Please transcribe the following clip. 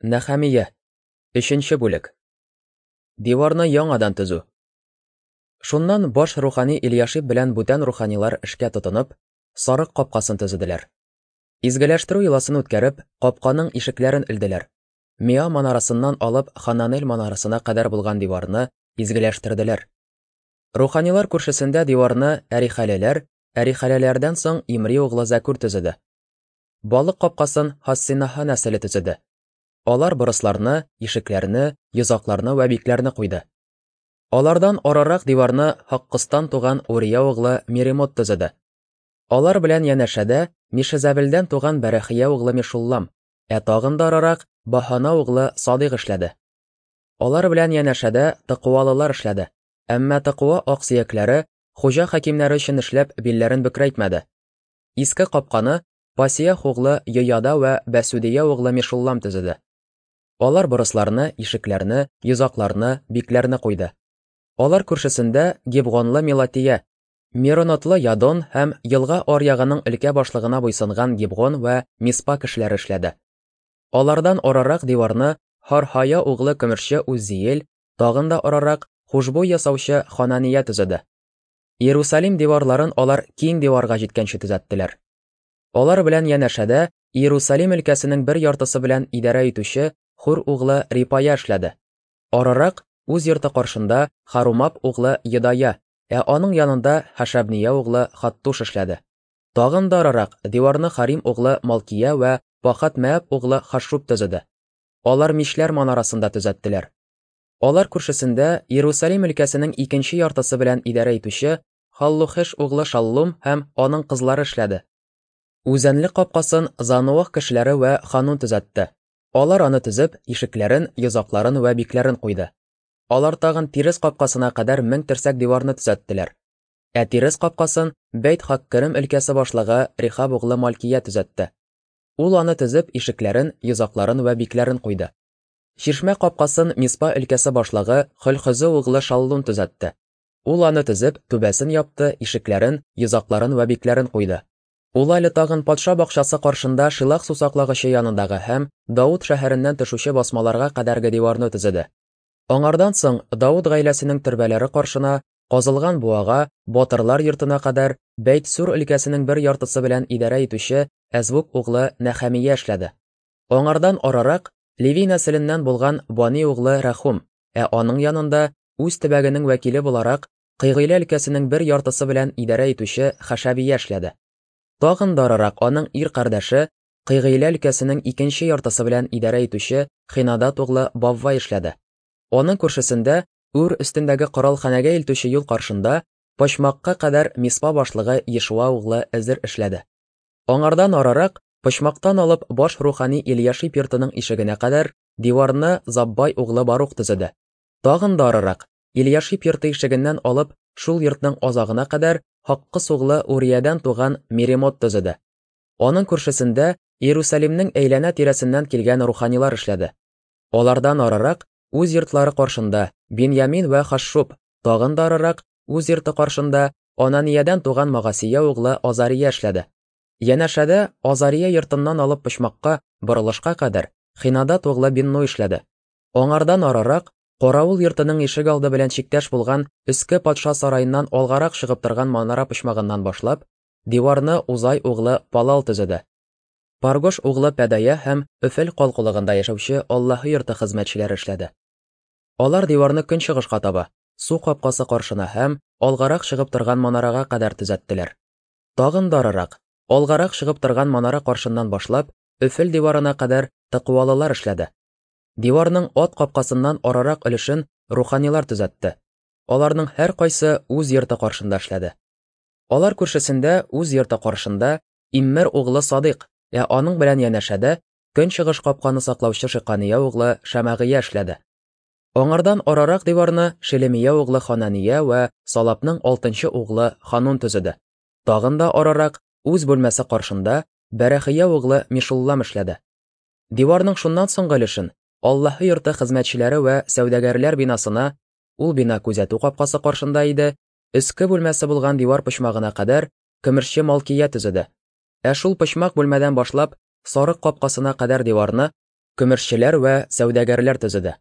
Нәхәмия. Өченче бүлек. Диварны яңадан төзү. Шуннан баш рухани Ильяшиб белән бүтән руханилар эшкә тотынып, сарык капкасын төзеделәр. Изгеләштерү йоласын үткәреп, капканың ишекләрен элделәр. Миа манарасыннан алып Хананель манарасына кадәр булган диварны изгеләштерделәр. Руханилар күршесендә диварны Әрихәлеләр, Әрихәлеләрдән соң Имри углы Зәкүр төзеде. Балык капкасын Хассинаһа нәселе төзеде. Алар борысларны, ишекләрне, йозакларны вә бикләрне куйды. Алардан арырак диварны Һаккыстан туган Урия углы Меремот төзеде. Алар белән янәшәдә Мишезәбелдән туган Бәрәхия углы Мешуллам, ә тагын да арырак Баһана углы Садыйк эшләде. Алар белән янәшәдә тыкуалылар эшләде. Әмма тыкуа аксөякләре хуҗа хакимнәре өчен эшләп билләрен бөкрәйтмәде. Иске капканы Пасиях углы Йояда вә Бәсүдия углы Мешуллам төзеде. Алар борысларны, ишекләрне, йозакларны, бикләрне куйды. Алар күршесендә Гибгонлы Мелатия, Меронотлы Ядон һәм елга аръягының өлкә башлыгына буйсынган Гибгон вә Миспа кешеләре эшләде. Алардан арырак диварны Хархая углы көмешче Уззиел, тагын да арырак хушбуй ясаучы Ханания төзеде. Иерусалим диварларын алар киң диварга җиткәнче төзәттеләр. Алар белән янәшәдә Иерусалим өлкәсенең бер яртысы белән идарә итүче Хур углы Рипая эшләде. Арырак үз йорты каршында Харумап углы Едая, ә аның янында Хашабния углы Хаттуш эшләде. Тагын да арырак диварны Харим углы Малкия вә Пахат Мәаб углы Хашшуб төзеде. Алар мишләр манарасында төзәттеләр. Алар күршесендә Иерусалим өлкәсенең икенче яртысы белән идарә итүче Халлухеш углы Шаллум һәм аның кызлары эшләде. Үзәнлек капкасын Зануах кешеләре вә Ханун төзәтте. Алар аны төзеп, ишекләрен, йозакларын вә бикләрен куйды. Алар тагын Тирес капкасына кадәр 1000 терсәк диварны төзәттеләр. Ә Тирес капкасын Бәйт Хаккерем өлкәсе башлыгы Рихаб углы Малкия төзәтте. Ул аны төзеп, ишекләрен, йозакларын вә бикләрен куйды. Чишмә капкасын Миспа өлкәсе башлыгы Хөлхөзе углы Шаллун төзәтте. Ул аны төзеп, түбәсен япты, ишекләрен, йозакларын вә бикләрен куйды. Ул әле тагын патша бакчасы каршында Шилах сусаклагычы янындагы һәм Дауд шәһәреннән төшүче басмаларга кадәрге диварны төзеде. Аңардан соң Дауд гаиләсенең төрбәләре каршына, казылган буага, батырлар йортына кадәр Бәйт-Сүр өлкәсенең бер яртысы белән идарә итүче Әзвук углы Нәхәмия эшләде. Аңардан арырак Леви нәселеннән булган Бани углы Рәхум, ә аның янында үз төбәгенең вәкиле буларак Кыйгыйлә өлкәсенең бер яртысы белән идарә итүче Хәшәбия эшләде. Тагын да арырак аның ир кардәше Кыйгыйлә өлкәсенең икенче яртысы белән идарә итүче Хинадат углы Баввай эшләде. Аның күршесендә үр өстендәге коралханәгә илтүче юл каршында почмакка кадәр Миспа башлыгы Ешуа углы Эзер эшләде. Аңардан арырак, почмактан алып баш рухани Ильяшиб йортының ишегенә кадәр диварны Заббай углы Барух төзеде. Тагын да арырак, Ильяшиб йорты ишегеннән алып шул йортның азагына кадәр Һаккыс углы Уриядән туган Меремот төзеде. Аның күршесендә Иерусалимнең әйләнә тирәсеннән килгән руханилар эшләде. Алардан арырак, үз йортлары каршында Биньямин вә Хашшуб, тагын да арырак, үз йорты каршында Ананиядән туган Магасия углы Азария эшләде. Янәшәдә Азария йортыннан алып почмакка, борылышка кадәр Хинадат углы Бинну эшләде. Аңардан арырак, каравыл йортының ишек алды белән чиктәш булган өске патша сараеннан алгарак чыгып торган манара почмагыннан башлап, диварны Узай углы Палал төзеде. Паргош углы Пәдая һәм Өфел калкулыгында яшәүче Аллаһы йорты хезмәтчеләре эшләде. Алар диварны көнчыгышка таба, су капкасы каршына һәм алгарак чыгып торган манарага кадәр төзәттеләр. Тагын да арырак, алгарак чыгып торган манара каршыннан башлап, Өфел диварына кадәр тыкуалылар эшләде. Диварның ат капкасыннан арырак өлешен руханилар төзәтте. Аларның һәркайсы үз йорты каршында эшләде. Алар күршесендә үз йорты каршында Иммер углы Садыйк, ә аның белән янәшәдә көнчыгыш капканы саклаучы Шикания углы Шәмәгыя эшләде. Аңардан арырак диварны Шелемия углы Ханания вә Салапның алтынчы углы Ханун төзеде. Тагын да арырак үз бүлмәсе каршында Бәрәхия углы Мишуллам эшләде. Диварның шуннан соңгы өлешен Аллаһы йорты хезмәтчеләре вә сәүдәгәрләр бинасына, ул бина күзәтү капкасы каршында иде, өске бүлмәсе булган дивар почмагына кадәр көмешче Малкия төзеде. Ә шул почмак бүлмәдән башлап сарык капкасына кадәр диварны Көмешчеләр вә сәүдәгәрләр төзеде.